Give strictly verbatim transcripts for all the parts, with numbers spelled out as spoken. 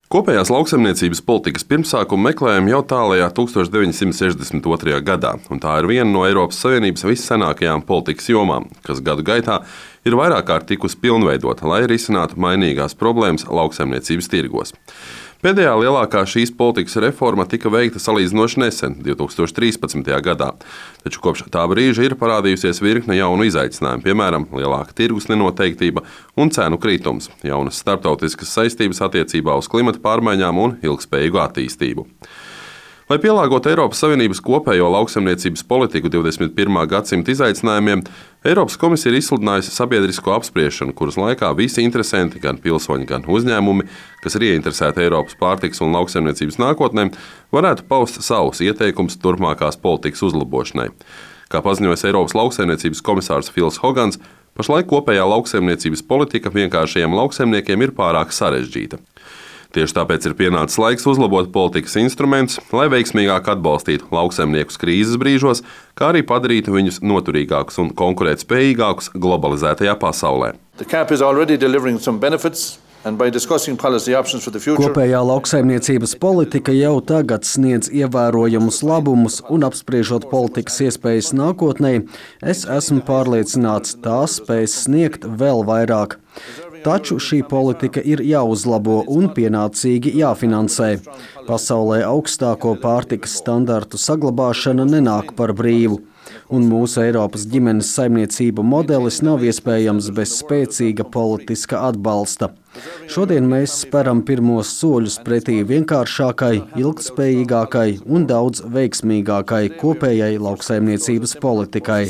Kopējās lauksaimniecības politikas pirmsākumu meklējam jau tālajā tukstovš deviņsimt sešdesmit otrajā gadā, un tā ir viena no Eiropas Savienības vissenākajām politikas jomām, kas gadu gaitā ir vairāk kārt tikusi pilnveidota, lai risinātu mainīgās problēmas lauksaimniecības tirgos. Pēdējā lielākā šīs politikas reforma tika veikta salīdzinoši nesen, divtūkstoš trīspadsmitajā gadā, taču kopš tā brīža ir parādījusies virkne jaunu izaicinājumu, piemēram, lielāka tirgus nenoteiktība un cenu kritums, jaunas starptautiskas saistības attiecībā uz klimata pārmaiņām un ilgspējīgu attīstību. Lai pielāgotu Eiropas Savienības kopējo lauksaimniecības politiku divdesmit pirmā gadsimta izaicinājumiem, Eiropas komisija ir izsludinājusi sabiedrisko apspriešanu, kuras laikā visi interesanti, gan pilsoņi, gan uzņēmumi, kas ir ieinteresēti Eiropas pārtikas un lauksaimniecības nākotnē, varētu paust savus ieteikumus turpmākās politikas uzlabošanai. Kā paziņojas Eiropas lauksaimniecības komisārs Fils Hogans, pašlaik kopējā lauksaimniecības politika vienkāršajiem lauksaimniekiem ir pārāk sarežģīta. Tieši tāpēc ir pienācis laiks uzlabot politikas instrumentus, lai veiksmīgāk atbalstītu lauksaimniekus krīzes brīžos, kā arī padarītu viņus noturīgākus un konkurētspējīgākus globalizētajā pasaulē. Kopējā lauksaimniecības politika jau tagad sniedz ievērojamus labumus, un apspriežot politikas iespējas nākotnē, es esmu pārliecināts, tās spēs sniegt vēl vairāk. Taču šī politika ir jāuzlabo un pienācīgi jāfinansē. Pasaulē augstāko pārtikas standartu saglabāšana nenāk par brīvu, un mūsu Eiropas ģimenes saimniecību modelis nav iespējams bez spēcīga politiska atbalsta. Šodien mēs speram pirmos soļus pretī vienkāršākai, ilgtspējīgākai un daudz veiksmīgākai kopējai lauksaimniecības politikai.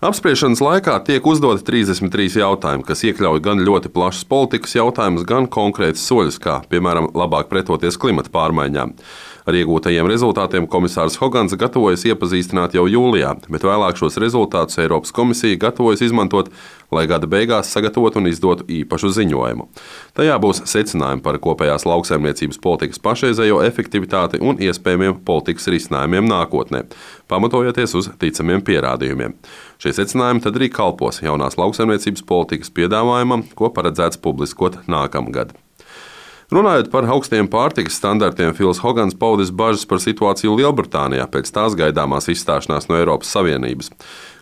Apspriešanas laikā tiek uzdoti trīsdesmit trīs jautājumi, kas iekļauj gan ļoti plašas politikas jautājumus, gan konkrētus soļus, kā, piemēram, labāk pretoties klimata pārmaiņām. Ar iegūtajiem rezultātiem komisārs Hogans gatavojas iepazīstināt jau jūlijā, bet vēlāk šos rezultātus Eiropas komisija gatavojas izmantot, lai gada beigās sagatavotu un izdotu īpašu ziņojumu. Tajā būs secinājumi par kopējās lauksaimniecības politikas pašreizējo efektivitāti un iespējamiem politikas risinājumiem nākotnē, pamatojoties uz ticamiem pierādījumiem. Šie secinājumi tad arī kalpos jaunās lauksaimniecības politikas piedāvājumam, ko paredzēts publiskot nākamgad. Runājot par augstiem pārtikas standartiem, Fils Hogans paudis bažas par situāciju Lielbritānijā pēc tās gaidāmās izstāšanās no Eiropas Savienības.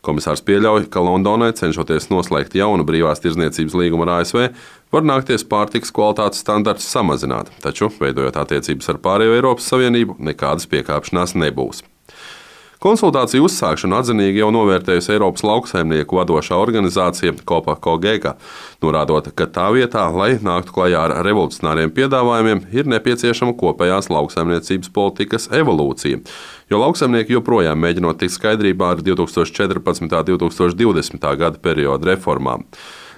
Komisārs pieļauj, ka Londonai, cenšoties noslēgt jaunu brīvās tirdzniecības līgumu ar A S V, var nākties pārtikas kvalitātes standartus samazināt, taču, veidojot attiecības ar pārējo Eiropas Savienību, nekādas piekāpšanās nebūs. Konsultāciju uzsākšanu atzinīgi jau novērtējusi Eiropas lauksaimnieku vadošā organizācija Copa Cogeca, norādot, ka tā vietā, lai nāktu klajā ar revolucionāriem piedāvājumiem, ir nepieciešama kopējās lauksaimniecības politikas evolūcija, jo lauksaimnieki joprojām mēģinot tikt skaidrībā ar divtūkstoš četrpadsmitā un divtūkstoš divdesmitā gada perioda reformām.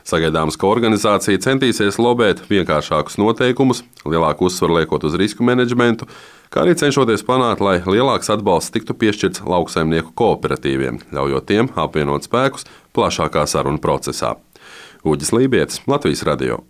Sagaidāms, ka organizācija centīsies lobēt vienkāršākus noteikumus, lielāku uzsvaru liekot uz risku menedžmentu, kā arī cenšoties panākt, lai lielāks atbalsts tiktu piešķirts lauksaimnieku kooperatīviem, ļaujot tiem apvienot spēkus plašākā sarunu procesā. Uģis Lībietis, Latvijas radio.